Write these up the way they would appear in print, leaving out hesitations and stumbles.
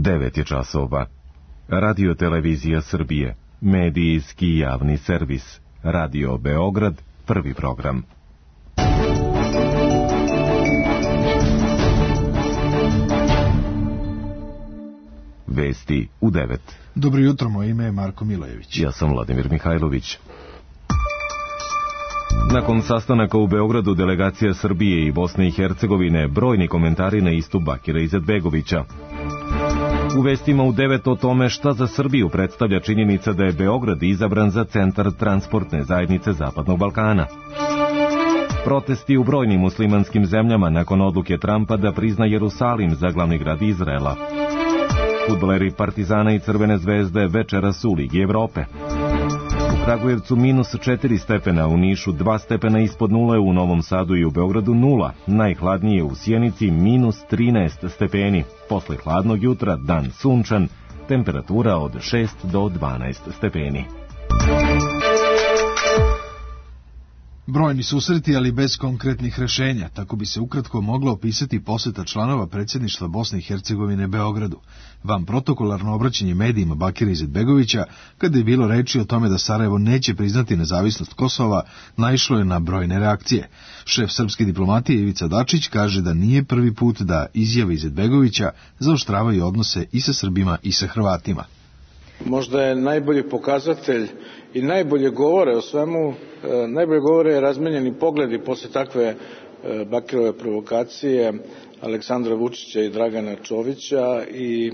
9 je časova. Radio Televizija Srbije, medijski javni servis. Radio Beograd, prvi program. Vesti u 9. Dobro jutro, moje ime je Marko Milojević. Ja sam Vladimir Mihajlović. Nakon sastanaka u Beogradu delegacija Srbije i Bosne i Hercegovine, brojni komentari na istup Bakira Izetbegovića. U vestima u 9 o tome šta za Srbiju predstavlja činjenica da je Beograd izabran za centar transportne zajednice Zapadnog Balkana. Protesti u brojnim muslimanskim zemljama nakon odluke Trumpa da prizna Jerusalim za glavni grad Izraela. Fudbaleri Partizana i Crvene zvezde večeras u Ligi Evrope. U Kragujevcu -4 stepena, u Nišu 2 stepena ispod nule, u Novom Sadu i u Beogradu 0. Najhladnije u Sjenici -13 stepeni. Posle hladnog jutra dan sunčan, temperatura od 6 do 12 stepeni. Brojni susreti, ali bez konkretnih rešenja. Tako bi se ukratko mogla opisati poseta članova predsjedništva Bosne i Hercegovine Beogradu. Van protokolarno obraćanje medijima Bakira Izetbegovića, kada je bilo reči o tome da Sarajevo neće priznati nezavisnost Kosova, naišlo je na brojne reakcije. Šef srpske diplomatije Ivica Dačić kaže da nije prvi put da izjave Izetbegovića zaoštravaju odnose i sa Srbima i sa Hrvatima. Možda je najbolji pokazatelj i najbolje govore o svemu, najbolje govore razmenjeni pogledi posle takve Bakirove provokacije Aleksandra Vučića i Dragana Čovića i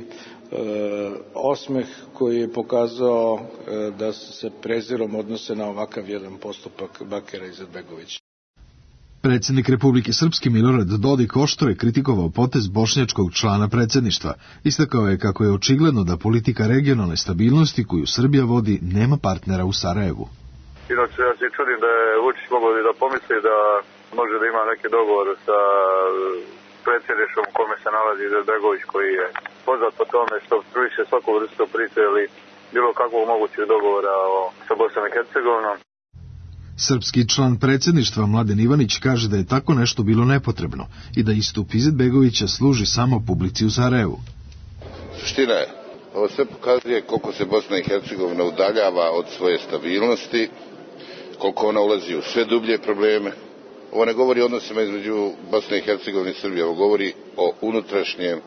osmeh koji je pokazao da se prezirom odnose na ovakav jedan postupak Bakira Izetbegovića. Predsjednik Republike Srpske Milorad Dodik oštro je kritikovao potez bošnjačkog člana predsjedništva. Istakao je kako je očigledno da politika regionalne stabilnosti koju Srbija vodi nema partnera u Sarajevu. Inače, ja se čudim da je Vučić mogao da pomisli da može da ima neki dogovor sa predsjedništvom u kome se nalazi Izetbegović, koji je poznat po tome što opstruiše svaku vrstu priče ili bilo kakvog mogućeg dogovora sa Bosnom i Hercegovinom. Srpski član predsjedništva Mladen Ivanić kaže da je tako nešto bilo nepotrebno i da istup Izetbegovića služi samo publici u Sarajevu. Suština je, ovo sve pokazuje koliko se Bosna i Hercegovina udaljava od svoje stabilnosti, koliko ona ulazi u sve dublje probleme. Ovo ne govori o odnosima između Bosne i Hercegovine i Srbije, ovo govori o unutrašnjem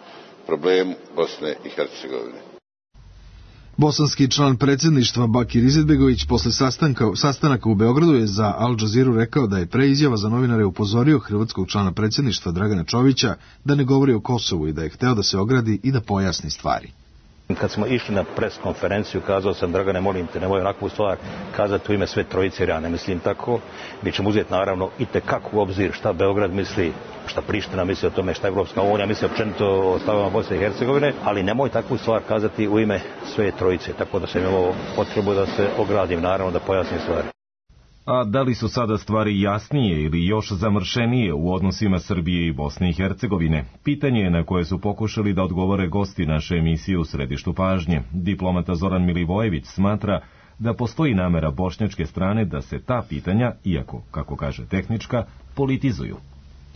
problemu Bosne i Hercegovine. Bosanski član predsjedništva Bakir Izetbegović posle sastanaka u Beogradu je za Al Jazeeru rekao da je pre izjava za novinare upozorio hrvatskog člana predsjedništva Dragana Čovića da ne govori o Kosovu i da je hteo da se ogradi i da pojasni stvari. Kad smo išli na pres konferenciju, kazao sam, Dragane, molim te, nemoj onakvu stvar kazati u ime sve trojice, jer ja ne mislim tako. Mi ćemo uzeti naravno i tekako u obzir šta Beograd misli, šta Priština misli o tome, šta Evropska unija misli općenito o stavama Bosne i Hercegovine, ali nemoj takvu stvar kazati u ime sve trojice, tako da sam imao potrebu da se ogradim, naravno da pojasnim stvari. A da li su sada stvari jasnije ili još zamršenije u odnosima Srbije i Bosne i Hercegovine? Pitanje je na koje su pokušali da odgovore gosti naše emisije u središtu pažnje. Diplomata Zoran Milivojević smatra da postoji namera bošnjačke strane da se ta pitanja, iako, kako kaže tehnička, politizuju.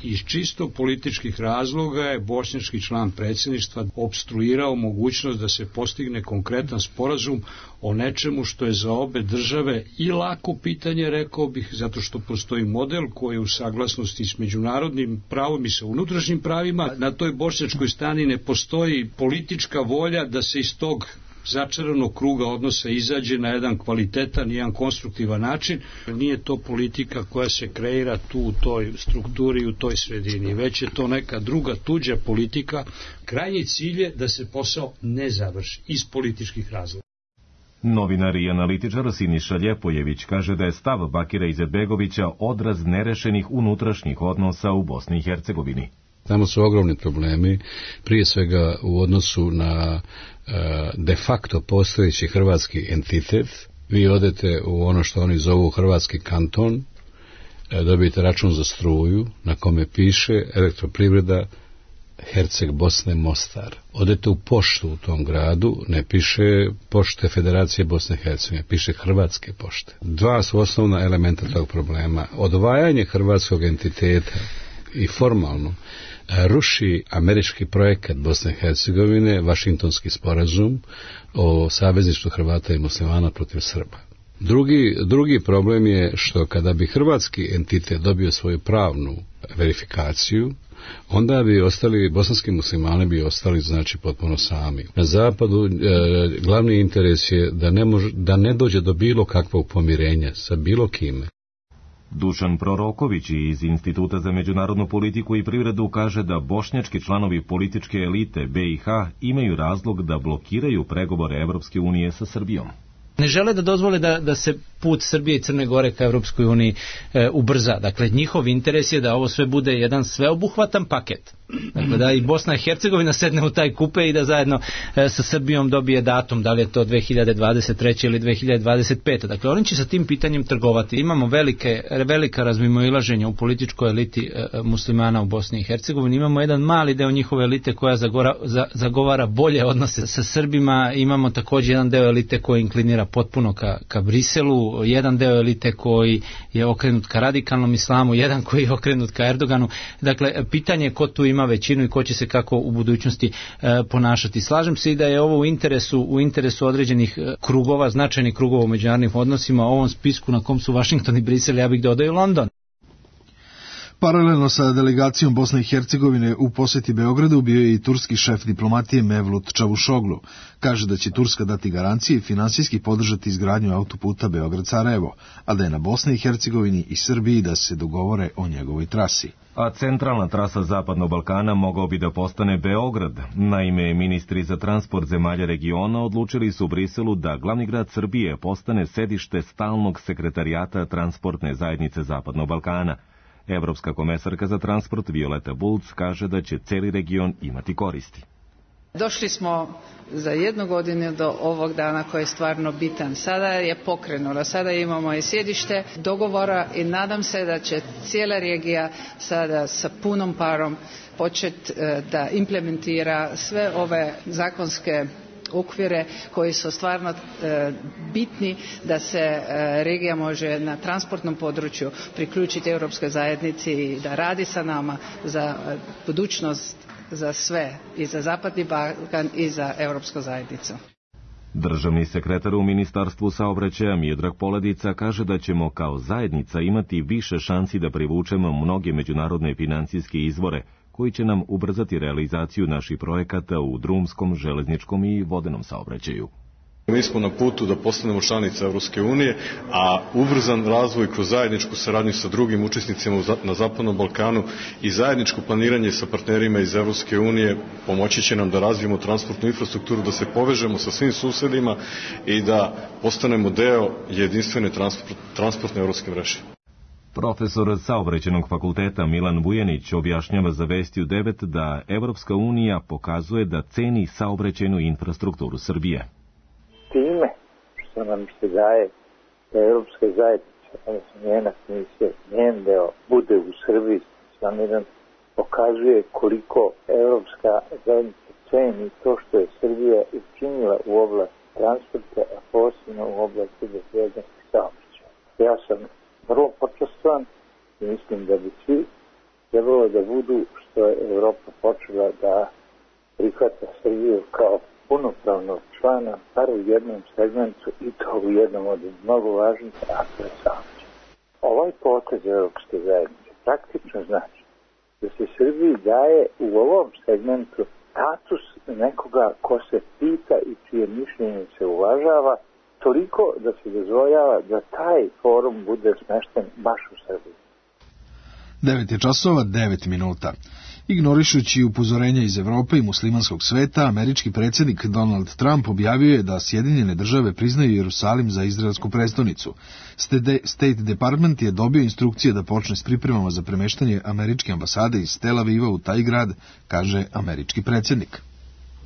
Iz čisto političkih razloga je bošnjački član predsjedništva opstruirao mogućnost da se postigne konkretan sporazum o nečemu što je za obe države i lako pitanje, rekao bih, zato što postoji model koji je u saglasnosti s međunarodnim pravom i sa unutrašnjim pravima. Na toj bošnjačkoj strani ne postoji politička volja da se iz tog začaranog kruga odnosa izađe na jedan kvalitetan i jedan konstruktivan način. Nije to politika koja se kreira tu u toj strukturi, u toj sredini, već je to neka druga tuđa politika. Krajnji cilj je da se posao ne završi iz političkih razloga. Novinar i analitičar Siniša Ljepojević kaže da je stav Bakira Izetbegovića odraz nerešenih unutrašnjih odnosa u Bosni i Hercegovini. Tamo su ogromni problemi, prije svega u odnosu na de facto postojeći hrvatski entitet. Vi odete u ono što oni zovu hrvatski kanton, dobijete račun za struju na kome piše Elektroprivreda Herceg Bosne Mostar. Odete u poštu u tom gradu, ne piše Pošte Federacije Bosne i Hercegovine, piše Hrvatske pošte. Dva su osnovna elementa tog problema. Odvajanje hrvatskog entiteta i formalno ruši američki projekat Bosne i Hercegovine, Vašingtonski sporazum o savezništvu Hrvata i muslimana protiv Srba. Drugi problem je što kada bi hrvatski entitet dobio svoju pravnu verifikaciju, onda bi bosanski muslimani bi ostali znači potpuno sami. Na zapadu glavni interes je da ne dođe do bilo kakvog pomirenja sa bilo kime. Dušan Proroković iz Instituta za međunarodnu politiku i privredu kaže da bošnjački članovi političke elite BiH imaju razlog da blokiraju pregovore Evropske unije sa Srbijom. Ne žele da dozvole da se put Srbije i Crne Gore ka Evropskoj uniji ubrza. Dakle, njihov interes je da ovo sve bude jedan sveobuhvatan paket. Dakle, da i Bosna i Hercegovina sedne u taj kupe i da zajedno sa Srbijom dobije datum, da li je to 2023. ili 2025. Dakle, oni će sa tim pitanjem trgovati. Imamo velika razmimoilaženja u političkoj eliti muslimana u Bosni i Hercegovini. Imamo jedan mali deo njihove elite koja zagovara bolje odnose sa Srbima. Imamo također jedan deo elite koji inklinira potpuno ka Briselu, jedan deo elite koji je okrenut ka radikalnom islamu, jedan koji je okrenut ka Erdoganu. Dakle, pitanje je ko tu ima većinu i ko će se kako u budućnosti ponašati. Slažem se i da je ovo u interesu određenih krugova, značajnih krugova u međunarodnim odnosima, ovom spisku na kom su Washington i Brisel, ja bih dodao i London. Paralelno sa delegacijom Bosne i Hercegovine u posjeti Beogradu bio je i turski šef diplomatije Mevlut Čavuşoglu. Kaže da će Turska dati garancije i finansijski podržati izgradnju autoputa Beograd-Sarajevo, a da je na Bosni i Hercegovini i Srbiji da se dogovore o njegovoj trasi. A centralna trasa Zapadnog Balkana mogao bi da postane Beograd. Naime, ministri za transport zemalja regiona odlučili su u Briselu da glavni grad Srbije postane sedište stalnog sekretarijata transportne zajednice Zapadnog Balkana. Evropska komesarka za transport Violeta Bulc kaže da će cijeli region imati koristi. Došli smo za 1 godinu do ovog dana koji je stvarno bitan. Sada je pokrenulo, sada imamo i sjedište dogovora i nadam se da će cijela regija sada sa punom parom početi da implementira sve ove zakonske okvire koji su stvarno bitni da se regija može na transportnom području priključiti Europskoj zajednici i da radi sa nama za budućnost, za sve, i za Zapadni Balkan i za Europsku zajednicu. Državni sekretar u Ministarstvu saobraćaja Miodrag Poledica kaže da ćemo kao zajednica imati više šansi da privučemo mnoge međunarodne financijske izvore koji će nam ubrzati realizaciju naših projekata u drumskom, železničkom i vodenom saobraćaju. Mi smo na putu da postanemo članica Evropske unije, a ubrzan razvoj kroz zajedničku saradnju sa drugim učesnicima na Zapadnom Balkanu i zajedničko planiranje sa partnerima iz Evropske unije pomoći će nam da razvijemo transportnu infrastrukturu, da se povežemo sa svim susedima i da postanemo deo jedinstvene transportne evropske mreže. Profesor Saobraćajnog fakulteta Milan Vujanić objašnjava za Vesti u 9 da Evropska unija pokazuje da ceni saobraćajnu infrastrukturu Srbije. Time što nam se daje da Evropska zajednica, odnosno njena komisija, njen deo bude u Srbiji staniran, pokazuje koliko Evropska zajednica ceni to što je Srbija učinila u oblasti transporta, a posebno u oblasti bezbednosti saobraćaja. Ja sam vrlo počastvan i mislim da bi svi trebalo da budu što je Evropa počela da prihvata Srbiju kao punopravnog člana, bar u jednom segmentu, i to u jednom od mnogo važnih, a to je saobraćaj. Ovaj potez Evropske zajednice praktično znači da se Srbiji daje u ovom segmentu status nekoga ko se pita i čije mišljenje se uvažava, toliko da se dozvoljava da taj forum bude smešten baš u Srbiji. 9:09. Ignorišući upozorenja iz Evrope i muslimanskog sveta, američki predsjednik Donald Trump objavio je da Sjedinjene države priznaju Jerusalim za izraelsku prestonicu. State Department je dobio instrukcije da počne s pripremama za premeštanje američke ambasade iz Tel Aviva u taj grad, kaže američki predsjednik.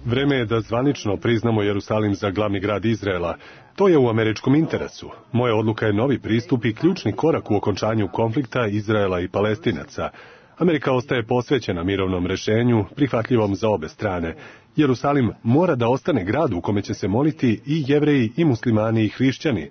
Vreme je da zvanično priznamo Jerusalim za glavni grad Izraela. To je u američkom interesu. Moja odluka je novi pristup i ključni korak u okončanju konflikta Izraela i Palestinaca. Amerika ostaje posvećena mirovnom rešenju, prihvatljivom za obe strane. Jerusalim mora da ostane grad u kome će se moliti i Jevreji, i muslimani, i hrišćani.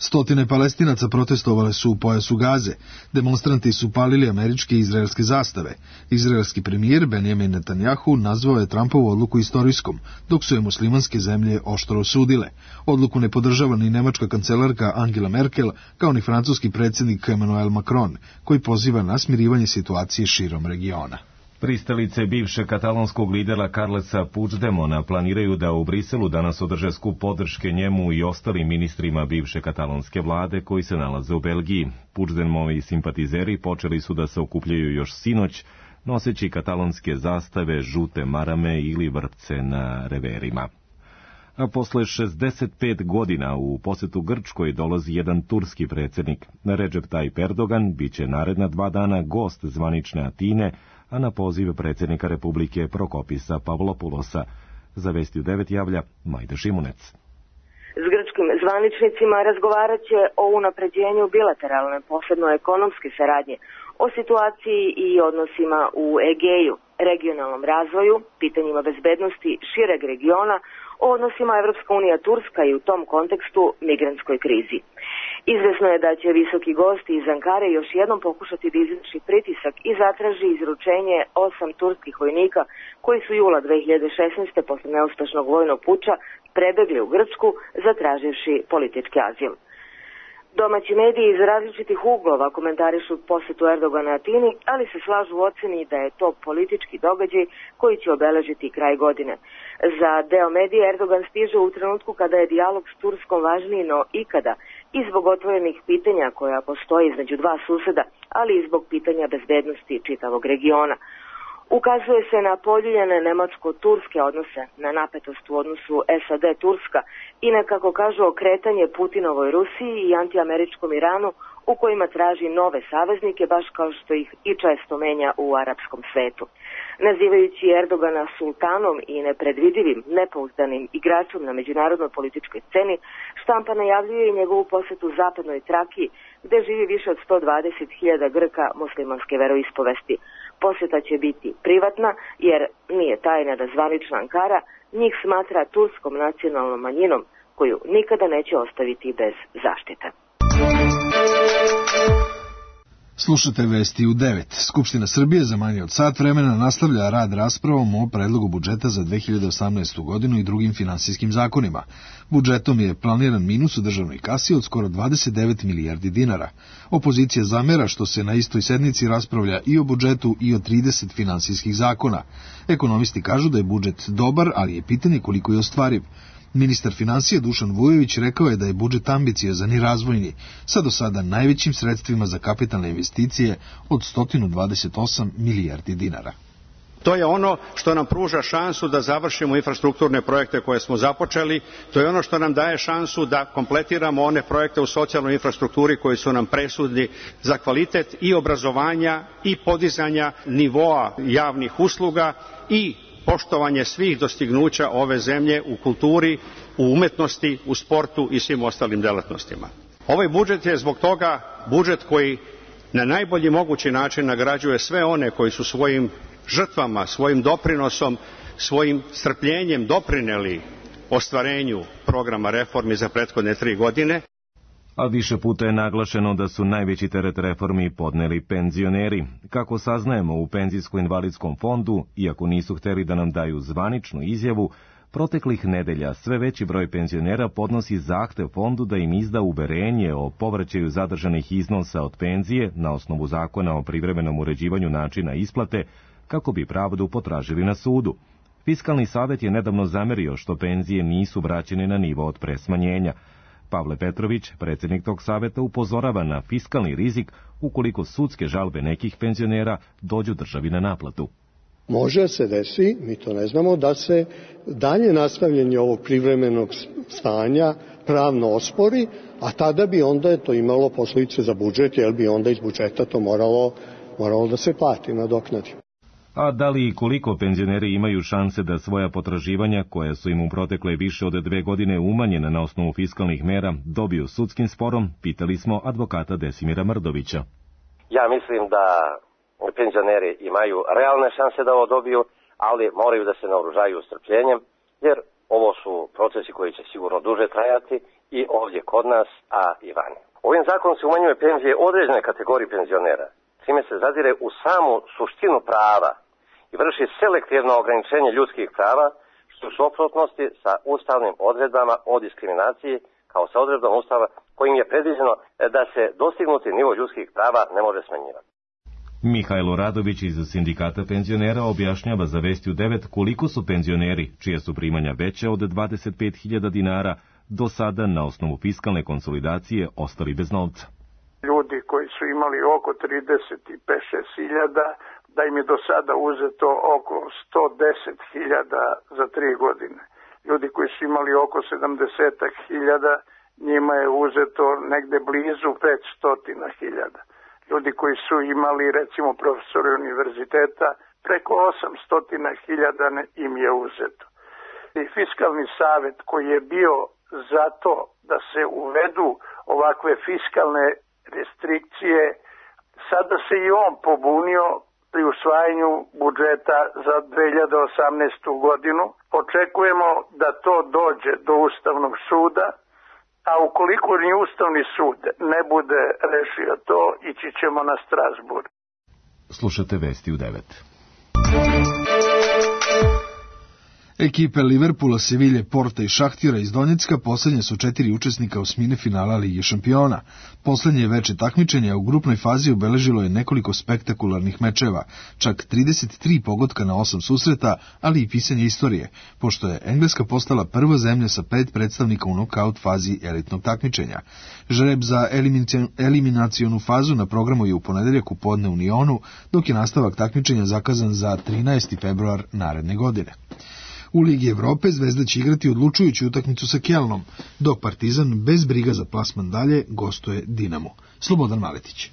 Stotine Palestinaca protestovale su u pojasu Gaze. Demonstranti su palili američke i izraelske zastave. Izraelski premijer Benjamin Netanjahu nazvao je Trumpovu odluku istorijskom, dok su je muslimanske zemlje oštro osudile. Odluku ne podržava ni nemačka kancelarka Angela Merkel, kao ni francuski predsjednik Emmanuel Macron, koji poziva na smirivanje situacije širom regiona. Pristalice bivšeg katalonskog lidera Carlesa Puigdemona planiraju da u Briselu danas održe skup podrške njemu i ostalim ministrima bivše katalonske vlade koji se nalaze u Belgiji. Puigdemovi simpatizeri počeli su da se okupljaju još sinoć, noseći katalonske zastave, žute marame ili vrpce na reverima. A posle 65 godina u posetu Grčkoj dolazi jedan turski predsjednik. Recep Tayyip Erdogan biće naredna 2 dana gost zvanične Atine, a na poziv predsjednika Republike Prokopisa Pavlopoulosa. Za Vesti u 9 javlja Majda Šimunec. S grčkim zvaničnicima razgovarat će o unapređenju bilateralne, posebno ekonomske saradnje, o situaciji i odnosima u Egeju, regionalnom razvoju, pitanjima bezbednosti šireg regiona, o odnosima Evropska unija-Turska i u tom kontekstu migrantskoj krizi. Izvesno je da će visoki gosti iz Ankare još jednom pokušati da izvrši pritisak i zatraži izručenje 8 turskih vojnika koji su jula 2016. posle neuspešnog vojnog puča prebegli u Grčku zatraživši politički azil. Domaći mediji iz različitih uglova komentarišu posetu Erdogana Atini, ali se slažu u oceni da je to politički događaj koji će obeležiti kraj godine. Za deo medija Erdogan stiže u trenutku kada je dijalog s Turskom važniji no ikada i zbog otvorenih pitanja koja postoji između dva suseda, ali i zbog pitanja bezbednosti čitavog regiona. Ukazuje se na poljuljene nemačko-turske odnose, na napetost u odnosu SAD-Turska i na, kako kažu, okretanje Putinovoj Rusiji i antiameričkom Iranu u kojima traži nove saveznike, baš kao što ih i često menja u arapskom svetu. Nazivajući Erdogana sultanom i nepredvidivim, nepouzdanim igračom na međunarodnoj političkoj sceni, štampa najavljuje i njegovu posetu zapadnoj Trakiji, gde živi više od 120.000 Grka muslimanske veroispovesti. Posjeta će biti privatna, jer nije tajna da zvanična Ankara njih smatra turskom nacionalnom manjinom, koju nikada neće ostaviti bez zaštite. Slušate Vesti u 9. Skupština Srbije za manje od sat vremena nastavlja rad raspravom o predlogu budžeta za 2018. godinu i drugim finansijskim zakonima. Budžetom je planiran minus u državnoj kasi od skoro 29 milijardi dinara. Opozicija zamera što se na istoj sednici raspravlja i o budžetu i o 30 finansijskih zakona. Ekonomisti kažu da je budžet dobar, ali je pitanje koliko je ostvariv. Ministar finansija Dušan Vujović rekao je da je budžet ambiciozan i razvojni, sa do sada najvećim sredstvima za kapitalne investicije od 128 milijardi dinara. To je ono što nam pruža šansu da završimo infrastrukturne projekte koje smo započeli, to je ono što nam daje šansu da kompletiramo one projekte u socijalnoj infrastrukturi koji su nam presudni za kvalitet i obrazovanja i podizanja nivoa javnih usluga i poštovanje svih dostignuća ove zemlje u kulturi, u umetnosti, u sportu i svim ostalim delatnostima. Ovaj budžet je zbog toga budžet koji na najbolji mogući način nagrađuje sve one koji su svojim žrtvama, svojim doprinosom, svojim strpljenjem doprineli ostvarenju programa reformi za prethodne 3 godine. A više puta je naglašeno da su najveći teret reformi podneli penzioneri. Kako saznajemo u Penzijsko-invalidskom fondu, iako nisu hteli da nam daju zvaničnu izjavu, proteklih nedelja sve veći broj penzionera podnosi zahtev fondu da im izda uverenje o povraćaju zadržanih iznosa od penzije na osnovu zakona o privremenom uređivanju načina isplate, kako bi pravdu potražili na sudu. Fiskalni savet je nedavno zamerio što penzije nisu vraćene na nivo od pre smanjenja. Pavle Petrović, predsjednik tog saveta, upozorava na fiskalni rizik ukoliko sudske žalbe nekih penzionera dođu državi na naplatu. Može se desi, mi to ne znamo, da se dalje nastavljanje ovog privremenog stanja pravno ospori, a tada bi onda to imalo posljedice za budžet, jer bi onda iz budžeta to moralo da se plati, nadoknadi. A da li i koliko penzioneri imaju šanse da svoja potraživanja, koja su im u protekle više od 2 godine umanjena na osnovu fiskalnih mera, dobiju sudskim sporom, pitali smo advokata Desimira Mrdovića. Ja mislim da penzioneri imaju realne šanse da ovo dobiju, ali moraju da se naoružaju strpljenjem, jer ovo su procesi koji će sigurno duže trajati i ovdje kod nas, a i vani. Ovim zakonom se umanjuje penzije određene kategorije penzionera, čime se zadire u samu suštinu prava i vrši selektivno ograničenje ljudskih prava, što u suprotnosti sa ustavnim odredbama o diskriminaciji, kao sa odredbom Ustava kojim je predviđeno da se dostignuti nivo ljudskih prava ne može smanjivati. Mihajlo Radović iz Sindikata penzionera objašnjava za Vesti u 9 koliko su penzioneri, čije su primanja veće od 25.000 dinara, do sada na osnovu fiskalne konsolidacije ostali bez novca. Ljudi koji su imali oko 35-6.000, da im je do sada uzeto oko 110.000 za 3 godine. Ljudi koji su imali oko 70.000, njima je uzeto negde blizu 500.000. Ljudi koji su imali, recimo, profesori univerziteta, preko 800.000 im je uzeto. I Fiskalni savet koji je bio zato da se uvedu ovakve fiskalne restrikcije, sada se i on pobunio pri usvajanju budžeta za 2018. godinu. Očekujemo da to dođe do Ustavnog suda, a ukoliko ni Ustavni sud ne bude rešio to, ići ćemo na Strasburg. Slušate Vesti u 9. Ekipe Liverpoola, Sevilje, Porta i Šahtira iz Donjecka poslednje su 4 učesnika osmine finala Lige šampiona. Poslednje veče takmičenja u grupnoj fazi obeležilo je nekoliko spektakularnih mečeva, čak 33 pogotka na 8 susreta, ali i pisanje istorije, pošto je Engleska postala prva zemlja sa 5 predstavnika u nokaut fazi elitnog takmičenja. Žreb za eliminacionu fazu na programu je u ponedeljak u podne u Nionu, dok je nastavak takmičenja zakazan za 13. februar naredne godine. U Ligi Evrope Zvezda će igrati odlučujuću utakmicu sa Kelnom, dok Partizan bez briga za plasman dalje gostuje Dinamo. Slobodan Maletić.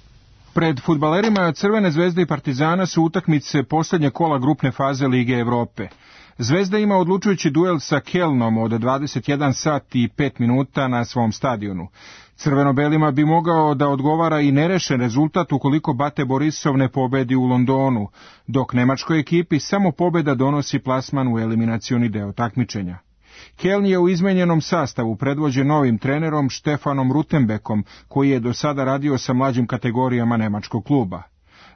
Pred fudbalerima Crvene zvezde i Partizana su utakmice poslednje kola grupne faze Lige Evrope. Zvezda ima odlučujući duel sa Kelnom od 21 sat i 5 minuta na svom stadionu. Crveno-belima bi mogao da odgovara i nerešen rezultat ukoliko Bate Borisov ne pobedi u Londonu, dok nemačkoj ekipi samo pobeda donosi plasman u eliminacioni deo takmičenja. Keln je u izmenjenom sastavu predvođen novim trenerom Štefanom Rutenbekom, koji je do sada radio sa mlađim kategorijama nemačkog kluba.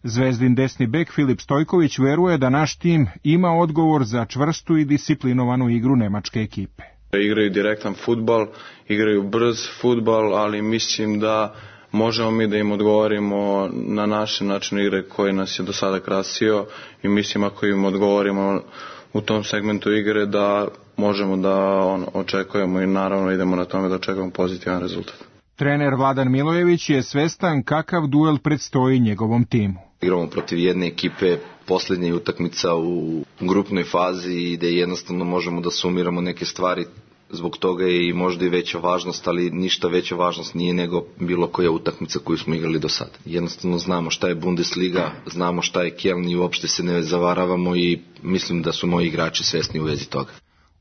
Zvezdin desni bek Filip Stojković veruje da naš tim ima odgovor za čvrstu i disciplinovanu igru nemačke ekipe. Igraju direktan fudbal, igraju brz fudbal, ali mislim da možemo mi da im odgovorimo na naš način igre koji nas je do sada krasio i mislim ako im odgovorimo u tom segmentu igre da možemo da očekujemo i naravno idemo na tome da očekujemo pozitivan rezultat. Trener Vladan Milojević je svestan kakav duel predstoji njegovom timu. Igramo protiv jedne ekipe, poslednja utakmica u grupnoj fazi i da jednostavno možemo da sumiramo neke stvari. Zbog toga je i možda i veća važnost, ali ništa veća važnost nije nego bilo koja utakmica koju smo igrali do sada. Jednostavno znamo šta je Bundesliga, znamo šta je Keln i uopšte se ne zavaravamo i mislim da su moji igrači svesni u vezi toga.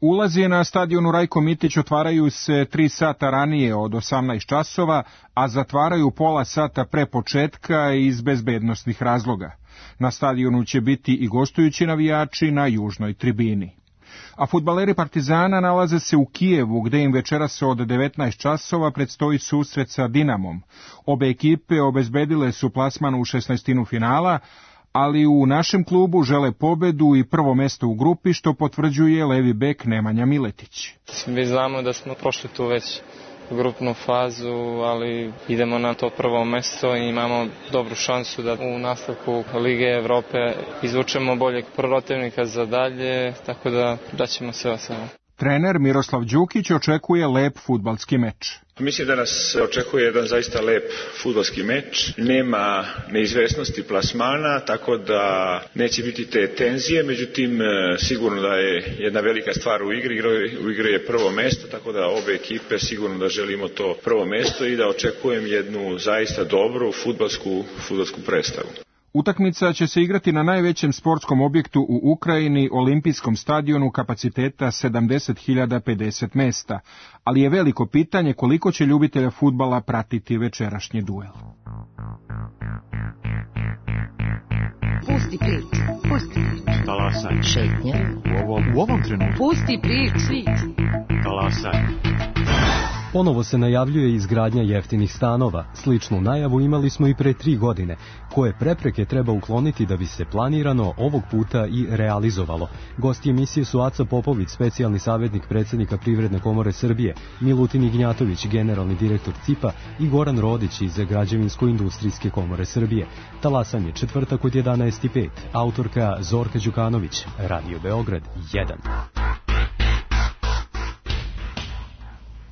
Ulazi na stadionu Rajko Mitić otvaraju se 3 sata ranije od 18 časova, a zatvaraju pola sata pre početka iz bezbednosnih razloga. Na stadionu će biti i gostujući navijači na južnoj tribini. A fudbaleri Partizana nalaze se u Kijevu, gde im večeras od 19 časova predstoji susret sa Dinamom. Obe ekipe obezbedile su plasman u 16. finala, ali u našem klubu žele pobedu i prvo mesto u grupi, što potvrđuje levi bek Nemanja Miletić. Mi znamo da smo prošli tu već grupnu fazu, ali idemo na to prvo mesto i imamo dobru šansu da u nastavku Lige Evrope izvučemo boljeg protivnika za dalje, tako da daćemo sve od sebe. Trener Miroslav Đukić očekuje lep fudbalski meč. Mislim da nas očekuje jedan zaista lep fudbalski meč. Nema neizvesnosti plasmana, tako da neće biti te tenzije, međutim sigurno da je jedna velika stvar u igri. U igri je prvo mesto, tako da obe ekipe sigurno da želimo to prvo mesto i da očekujem jednu zaista dobru fudbalsku predstavu. Utakmica će se igrati na najvećem sportskom objektu u Ukrajini, olimpijskom stadionu kapaciteta 70.050 mesta, ali je veliko pitanje koliko će ljubitelja fudbala pratiti večerašnji duel. Pusti prič, pusti prič. Talasaj. Šetnja. U ovom trenutku. Pusti prič. Talasaj. Ponovo se najavljuje izgradnja jeftinih stanova. Sličnu najavu imali smo i pre 3 godine. Koje prepreke treba ukloniti da bi se planirano ovog puta i realizovalo? Gosti emisije su Aca Popović, specijalni savjetnik predsjednika Privredne komore Srbije, Milutin Ignjatović, generalni direktor CIP-a i Goran Rodić iz Građevinsko-industrijske komore Srbije. Talasanje četvrtak od 11:05. Autorka Zorka Đukanović. Radio Beograd 1.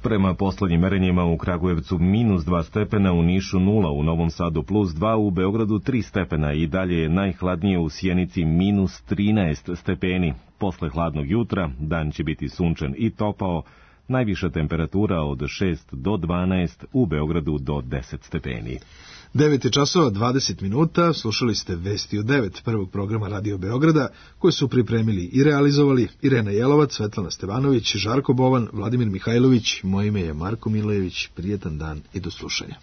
Prema poslednjim merenjima u Kragujevcu -2 stepena, u Nišu 0, u Novom Sadu +2, u Beogradu 3 stepena i dalje je najhladnije u Sjenici -13 stepeni. Posle hladnog jutra dan će biti sunčan i topao, najviša temperatura od 6 do 12, u Beogradu do 10 stepeni. 9 časova 20 minuta, slušali ste Vesti u 9 prvog programa Radio Beograda, koje su pripremili i realizovali Irena Jelovac, Svetlana Stevanović, Žarko Bovan, Vladimir Mihajlović, moje ime je Marko Milojević, prijetan dan i do slušanja.